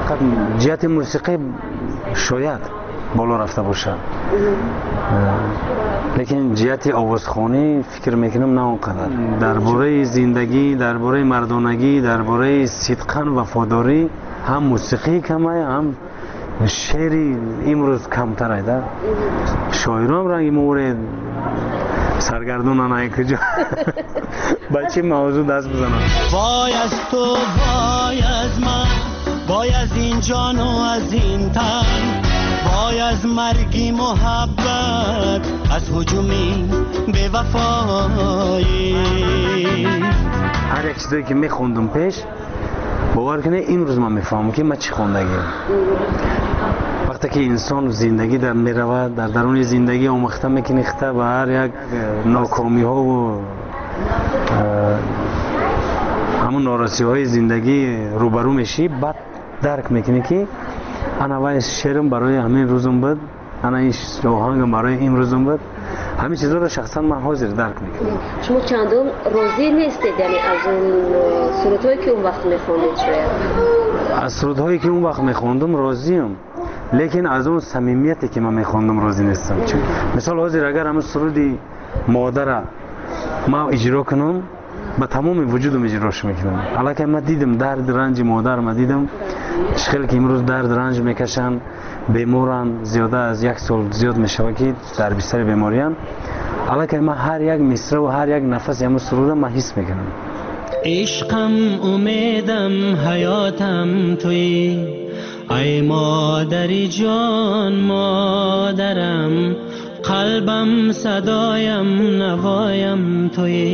Фақат ҷиҳати мусиқӣ шояд боло рафта бошад, лекин ҷиҳати овозхонӣ фикр мекунам на он қадар. Дар бораи зиндагӣ, дар бораи мардонагӣ, дар бораи сидқан вафодорӣ ҳам мусиқии камай, ҳам шеъри имрӯз камтарай да. Шоирон ранги море саргардонан, ай куҷо ба чӣ мавзӯъ даст бизананд. Вой аз ту, вой аз ман, вой аз ин ҷону аз ин тан, вой аз марги муҳаббат, аз ҳуҷуми бевафоӣ. Ҳар як чизое ки мехондум пеш, бовар кунед, имрӯз ман мефаҳмам, ки ман чӣ хондагиам. Вақте ки инсон зиндагӣ дар меравад, дар даруни зиндагӣ омӯхта мекунӣ хита ба ҳар як нокомиҳову ҳамун норасиҳои зиндагӣ рӯбарӯ мешӣ, баъд дарк мекунӣ, ки ана вай шеърам барои ҳамин рӯзам буд, ана ин оҳангам барои имрӯзам буд. Ҳамин чизҳоро шахсан ман ҳозир дарк мекунам. Шумо чандон розӣ нестед, яъне аз он сурудҳое, ки он вақт мехондед шояд? Аз сурудҳое, ки он вақт мехондум, розиам, лекин аз он самимияте, ки ман мехондум, розӣ нестам. Мисол, ҳозир агар ҳамин суруди модара ман иҷро кунам, ба тамоми вуҷудам иҷрош мекунам. Аллакай ман дидам дард ранҷи модар, ман дидам чӣ хеле ки имрӯз дард ранҷ мекашанд, беморанд, зиёда аз як сол зиёд мешавад, ки дар бистари беморианд. Аллакай ман ҳар як мисраву ҳар як нафаси ҳамун суруда ман ҳис мекунам. Ишқам, умедам, ҳаётам туӣ, ай модари ҷон, модарам, қалбам, садоям, навоям туӣ,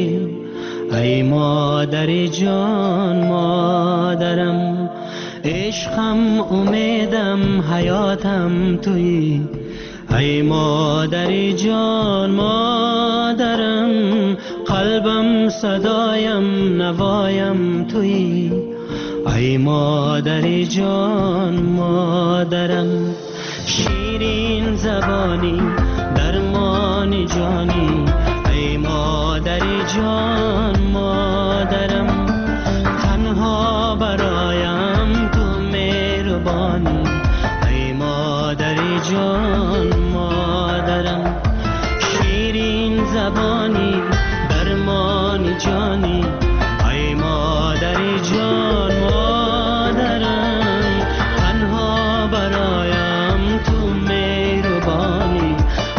ай модари ҷон, модарам, ишқам, умедам, ҳаётам туӣ, ай модари ҷон, модарам, қалбам, садоям, навоям туӣ, ай модари ҷон, модарам, ширин забонӣ, дармони ҷонӣ, ай модари ҷон, модарам, танҳо бароям ту меҳрубонӣ, ай модари ҷон, модарам, ширин забонӣ, дармони ҷонӣ, ай модари ҷон, модарам, танҳо бароям ту меҳрубонӣ,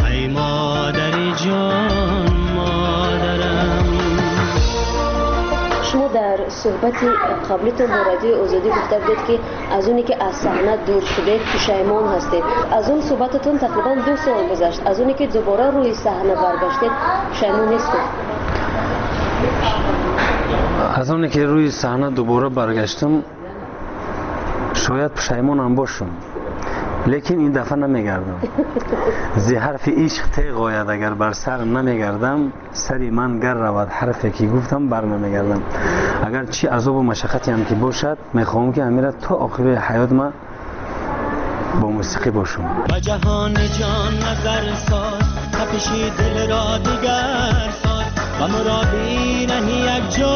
ай модари ҷон, модарам. Шумо дар суҳбати қаблитон бо Радиои Озодӣ гуфта будед, ки аз оне ки аз саҳна дур шудед, пушаймон ҳастед. Аз он суҳбататон тақрибан 2 сол гузашт. Аз оне ки дубора рӯи саҳна баргаштед, пушаймон нестед? Аз оне ки рӯи саҳна дубора баргаштам, шояд пушаймонам бошам, лекин ин дафъа намегардам. Зи ҳарфи ишқ теғ ояд агар бар сар намегардам, сари ман гар равад, ҳарфе ки гуфтам, бар намегардам. Агар чӣ азобу машаққатеам ки бошад, мехоҳам, ки ҳамира то охири ҳаёт ман бо мусиқӣ бошам. Ба ҷаҳони ҷон назар соз, тапиши дилро дигар соз, ба муроди раҳи як ҷо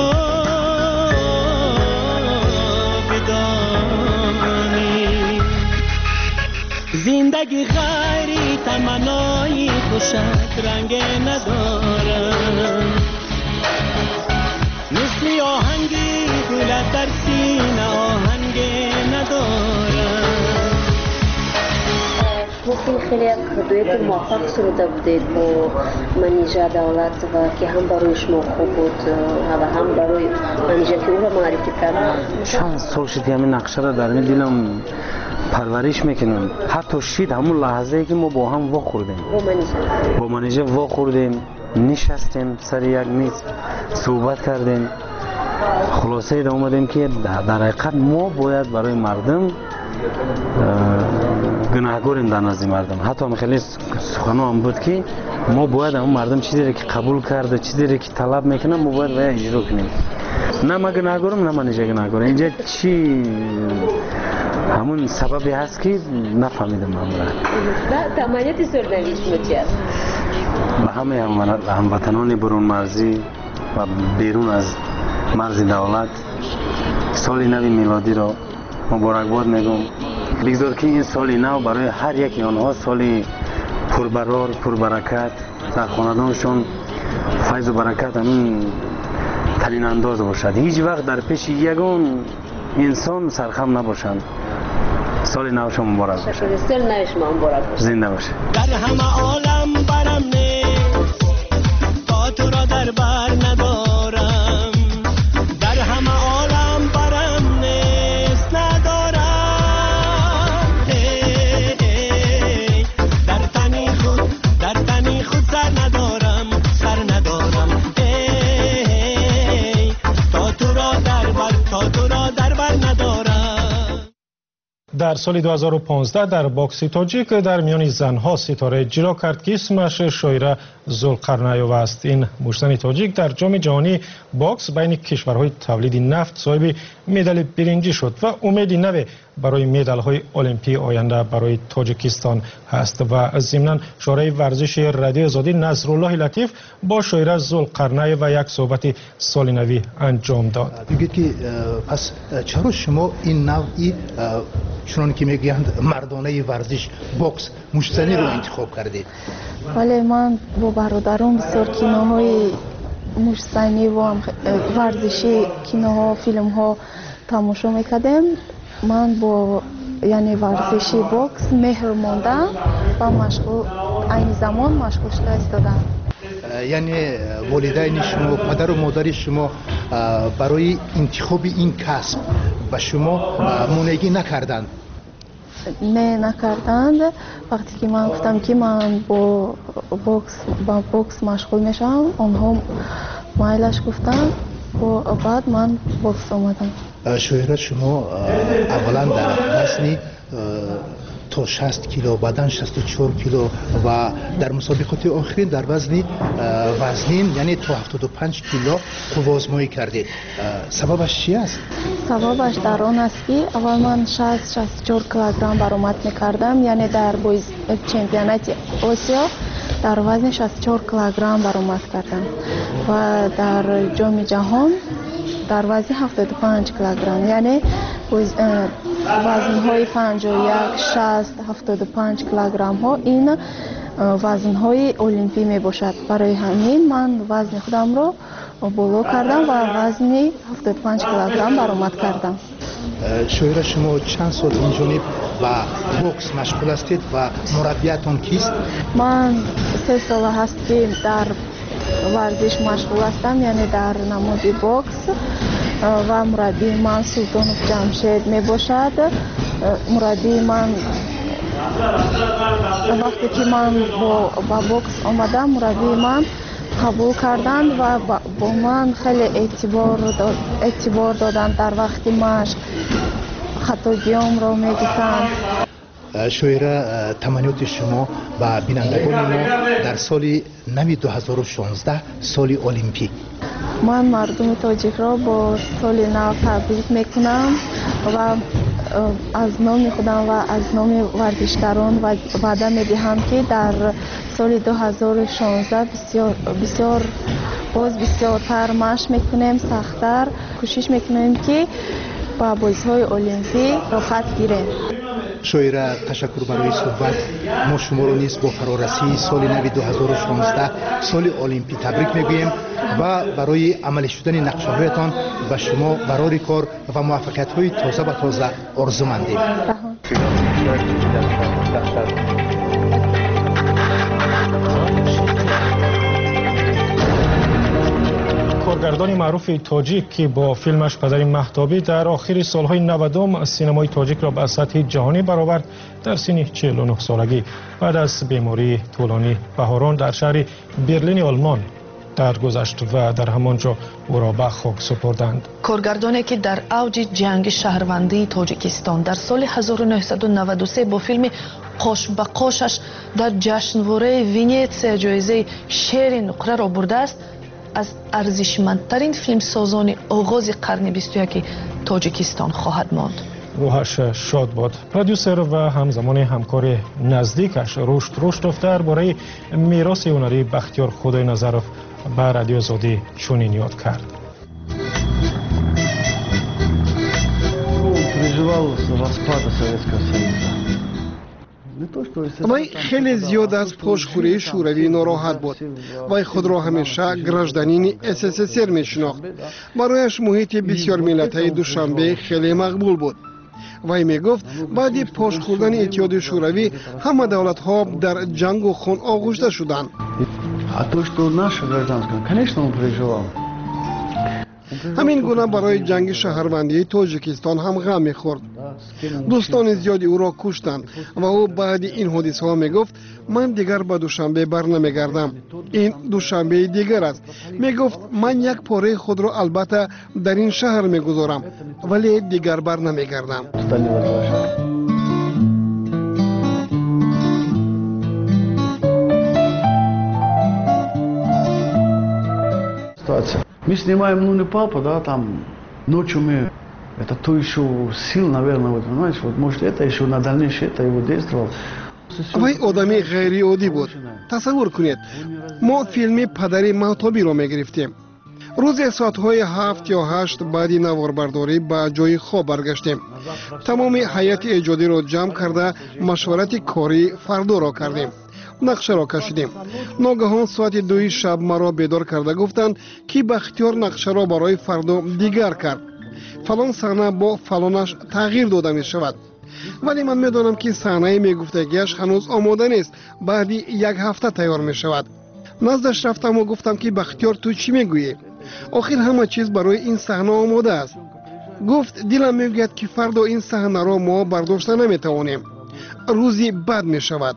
бидонӣ. Зиндагӣ ғайри таманнои хушак ранге надорад, мисли оҳанги дилат дар сина оҳанге надорад. Шумо хеле як дуэти муваффақ суруда будед бо Манижа Давлатова, ки ҳам барои шумо хуб буд ва ҳам барои Манижа, ки ӯро муаррифӣ кард. Чанд сол шуд, ки ҳамин нақшаро дар ми дилам парвариш мекунам. Ҳатто шид ҳамун лаҳзае, ки мо бо ҳам вохӯрдем. Бо Манижа. Бо Манижа вохӯрдем, нишастем сари як миз, суҳбат кардем, хулосае омадем, ки дар ҳақиқат мо бояд барои мардум гунаҳгорем дар назди мардум. Ҳатто хеле суханоам буд, ки мо бояд ҳамун мардум чизере ки қабул карда, чизере ки талаб мекунад, мо бояд вая иҷро кунем. На ман гунаҳгорам, на Манижа гунаҳгор. Инҷа чӣ ҳамун сабабе ҳаст, ки нафаҳмидам ҳамра. Таманниёти соли шумо чи аст? Ба ҳамаи ҳамватанони бурунмарзӣ ва берун аз марзи давлат соли нави милодиро Муборакбод мегӯм. Бигзор ки ин соли нав барои ҳар яки онҳо соли пурбарор, пурбаракат, дар хонадоншон файзу баракат ҳамин талинандоз бошад. Ҳеҷ вақт дар пеши ягон инсон сархам набошанд. Соли навшон муборак бошад. Соли нави шумо муборак бошад. Зинда бошед. Дар ҳама олам барам нест, то туро дар бар надорам. Дар ҳама олам барам нест, надорам. Дар тани худ, дар тани худ сар надорам, сар надорам. То туро дар бар, то туро дар бар надорам. Дар соли 2015 дар бокси тоҷик дар миёни занҳо ситораи ҷило кард, ки исмаш Шоира Зулқарнаева аст. Ин муштзани тоҷик дар ҷоми ҷаҳонии бокс байни кишварҳои тавлиди нафт соҳиби медали биринҷӣ шуд ва умеди наве барои медалҳои олимпии оянда барои Тоҷикистон ҳаст. Ва зимнан шораи варзиши Радиои Озодӣ Насруллоҳи Латиф бо Шоира Зулқарнаева як суҳбати соли навӣ анҷом дод. Бигӯед ки пас чаро шумо ин навъи, чунон ки мегӯянд, мардонаи варзиш, бокс, муштзаниро интихоб кардед? Вале ман бо бародарон бисёр киноҳои муштзанӣ ва варзишӣ, киноҳо, филмҳо тамошо мекардем. Ман бо яъне варзиши бокс меҳр мондам ва машғул айни замон машғул шуда истодам. Яъне волидайни шумо, падару модари шумо барои интихоби ин касб ба шумо монеагӣ накарданд? Не, накарданд. Вақте ки ман гуфтам, ки ман бо бокс машғул мешавам, онҳо майлаш гуфтанд. Баъд ман бокс омадам. Шоира, шумо аввалан дар вазни то 60 кило, баъдан 64 кило ва дар мусобиқоти охирин дар вазни вазнин, яъне то 75 кило қувваозмоӣ кардед. Сабабаш чи аст? Сабабаш дар он аст, ки аввал ман 60-64 килограмм баромад мекардам, яъне дар чемпионати Осиё дар вазни 64 килограмм баромад кардам ва дар ҷоми ҷаҳон дар вазни 75 килограмм, яъне вазнҳои 51, 60, 75 килограммҳо ин вазнҳои олимпӣ мебошад. Барои ҳамин ман вазни худамро боло кардам ва вазни 75 килограмм баромад кардам. Шоира, шумо чанд сол инҷониб ба бокс машғул ҳастед ва мураббиятон кист? Ман 3 сола ҳаст, ки дар варзиш машғул ҳастам, яъне дар намуди бокс, ва мураббии ман Султонов Ҷамшед мебошад. Мураббии ман вақте ки ман ба бокс омадам, мураббии ман қабул карданд ва бо ман хеле эътибор доданд. Дар вақти машқ хатогиёмро мегуфтанд. Шоира, таманниёти шумо ба бинандагони мо дар соли нави 2016, соли олимпӣ? Ман мардуми тоҷикро бо соли нав табрик мекунам ва аз номи худам ва аз номи варзишгарон ваъда медиҳам, ки дар соли 2016 бисёр бисёр боз бисёртар машқ мекунем, сахттар кӯшиш мекунем, ки ба бозиҳои олимпӣ роҳхат гирем. Шоира, ташаккур барои суҳбат. Мо шуморо низ бо фарорасии соли нави 2016, соли олимпӣ табрик мегӯем ва барои амалӣ шудани нақшаҳоятон ба шумо барори кор ва муваффақиятҳои тоза ба тоза орзумандем. Коргардони маъруфи тоҷик, ки бо филмаш «Падари Маҳтобӣ» дар охири солҳои 90-ум синамои тоҷикро ба сатҳи ҷаҳонӣ баровард, дар синни 49 солагӣ баъд аз бемории тӯлонӣ баҳорон дар шаҳри Берлини Олмон даргузашт ва дар ҳамон ҷо ӯро ба хок супурданд. Коргардоне, ки дар авҷи ҷанги шаҳрвандии Тоҷикистон дар соли 1993 бо филми «Қош ба қошаш» дар ҷашнвораи Венетсия ҷоизаи Шери нуқраро бурдааст, аз арзишмандтарин филмсозони оғози қарни 21-и Тоҷикистон хоҳад монд. Рӯҳаш шод бод. Продюсер ва ҳамзамони ҳамкори наздикаш Рушд Руштов дар бораи мероси ҳунарии Бахтиёр Худойназаров ба Радиои Озодӣ чунин ёд кард. Переживал распада Советского Союза. Вай хеле зиёд аз пошхӯрии Шӯравӣ нороҳат буд. Вай худро ҳамеша гражданини СССР мешинохт. Барояш муҳити бисёрмиллатаи Душанбе хеле мақбул буд. Вай мегуфт, баъди пош хӯрдани Иттиҳоди Шӯравӣ ҳама давлатҳо дар ҷангу хун оғушта шуданд. А то, что наша гражданская, конечно, он переживал. Ҳамин гуна барои ҷанги шаҳрвандии Тоҷикистон ҳам ғам мехӯрд. Дӯстони зиёди ӯро куштанд ва ӯ баъди ин ҳодисаҳо мегуфт: «Ман дигар ба Душанбе барнамегардам, ин Душанбеи дигар аст». Мегуфт: «Ман як пораи худро албатта дар ин шаҳр мегузорам, вале дигар барнамегардам». Стали возвращать. Ситуация. Мы снимаем «Ну не папа», да, там ночью мы, это то еще сил, наверное, вот, понимаешь, вот, может, это еще на дальнейшее, это его действовал. Вай одами ғайриоддӣ буд. Тасаввур кунед, мо филми «Падари Маҳтобиро» мегирифтем. Рӯзе соатҳои 7 ё 8 баъди наворбардорӣ ба ҷои хоб баргаштем. Тамоми ҳайати эҷодиро ҷамъ карда, машварати кории фардоро кардем, нақшаро кашидем. Ногаҳон соати 2-и шаб маро бедор карда гуфтанд, ки Бахтиёр нақшаро барои фардо дигар кард, фалон саҳна бо фалонаш тағйир дода мешавад. Вале ман медонам, ки саҳнаи мегуфтагиаш ҳанӯз омода нест, баъди як ҳафта тайёр мешавад. Наздаш рафтаму гуфтам, ки «Бахтиёр, ту чӣ мегӯӣ? Охир ҳама чиз барои ин саҳна омода аст». Гуфт: «Дилам мегӯяд, ки фардо ин саҳнаро мо бардошта наметавонем, рӯзи бад мешавад».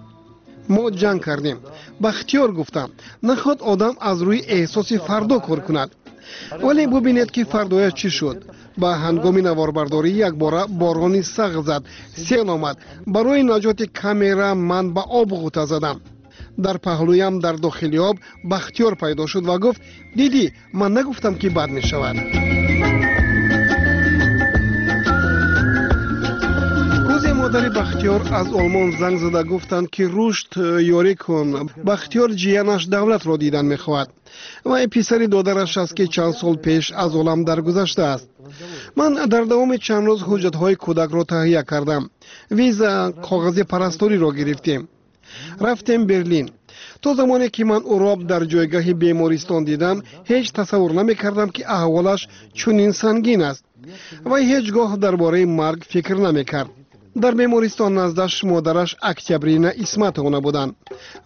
Мо ҷанг кардем. «Бахтиёр, — гуфтам, — наход одам аз рӯи эҳсоси фардо кор кунад». Вале бубинед, ки фардояш чӣ шуд. Ба ҳангоми наворбардорӣ якбора борони сахт зад, сел омад. Барои наҷоти камера ман ба об ғӯта задам. Дар паҳлӯям дар дохили об Бахтиёр пайдо шуд ва гуфт: «Дидӣ, ман нагуфтам, ки бад мешавад?» Рӯзе модари Бахтиёр аз Олмон занг зада гуфтанд, ки «Рушд, ёрӣ кун, Бахтиёр ҷиянаш Давлатро дидан мехоҳад. Вай писари додараш аст, ки чанд сол пеш аз олам даргузаштааст». Ман дар давоми чанд рӯз ҳуҷҷатҳои кӯдакро таҳия кардам, виза, коғази парасториро гирифтем, рафтем Берлин. То замоне ки ман ӯро дар ҷойгаҳи бемористон дидам, ҳеҷ тасаввур намекардам, ки аҳволаш чунин сангин аст. Вай ҳеҷ гоҳ дар бораи марг фикр намекард. Дар бемористон наздаш модараш Октябрина Исматовна буданд.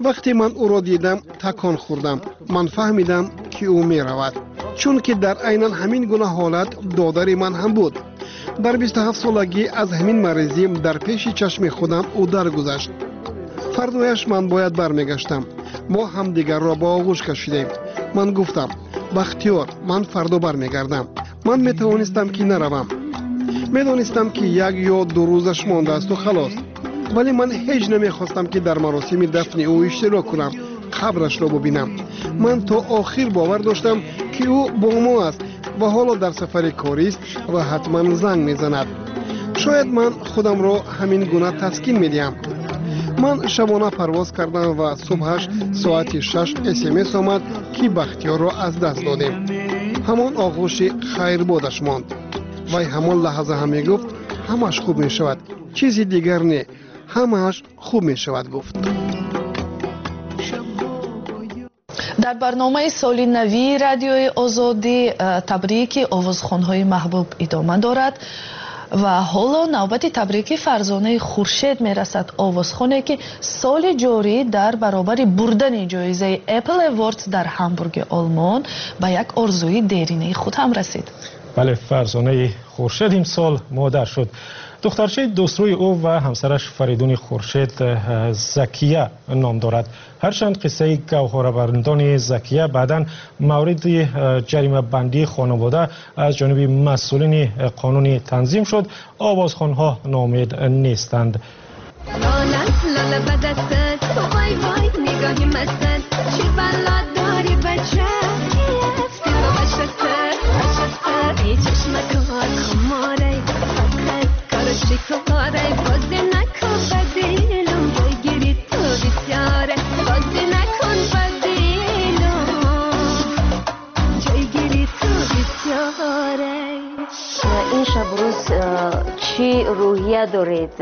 Вақте ман ӯро дидам, такон хӯрдам. Ман фаҳмидам, ки ӯ меравад, чунки дар айнан ҳамин гуна ҳолат додари ман ҳам буд. Дар 27 солагӣ аз ҳамин маризӣ дар пеши чашми худам ӯ даргузашт. Фардояш ман бояд бармегаштам. Мо ҳамдигарро ба оғӯш кашидем. Ман гуфтам: «Бахтиёр, ман фардо бармегардам». Ман метавонистам, ки наравам. Медонистам, ки 1 ё 2 рӯзаш мондаасту халос. Вале ман ҳеҷ намехостам, ки дар маросими дафни ӯ иштирок кунам, қабрашро бубинам. Ман то охир бовар доштам, ки ӯ бо мо аст ва ҳоло дар сафари корист ва ҳатман занг мезанад. Шояд ман худамро ҳамин гуна таскин медиҳам. Ман шабона парвоз кардам ва субҳаш соати 6 СМС омад, ки Бахтиёрро аз даст додем. Ҳамон оғӯши хайрбодаш монд. Вай ҳамон лаҳза ҳам мегуфт: «Ҳамааш хуб мешавад, чизи дигар не, ҳамааш хуб мешавад», — гуфт. Дар барномаи соли навии Радиои Озодӣ табрики овозхонҳои маҳбуб идома дорад ва ҳоло навбати табрики Фарзонаи Хуршед мерасад, овозхоне, ки соли ҷорӣ дар баробари бурдани ҷоизаи Apple Awards дар Ҳамбурги Олмон ба як орзуи деринаи худ ҳам расид. Бале, Фарзонаи Хуршед имсол модар шуд. Духтарчаи дӯстрӯи ӯ ва ҳамсараш Фаридуни Хуршед Закия ном дорад. Ҳарчанд қиссаи гавҳорабандони Закия баъдан мавриди ҷаримабандии хонавода аз ҷониби масъулини қонунӣ танзим шуд, овозхонҳо ноумед нестанд. لاله به دستت، وای وای نگاهی مستت، چی بلا داری بچه، ای چشمکات خماره، فقط کارش چیکاره؟ بازی نکن به دلم، بگیری تو بسیاره. بازی نکن به دلم، جایگیری تو بسیاره. Ин шабу рӯз чӣ Чӣ рӯҳия доред?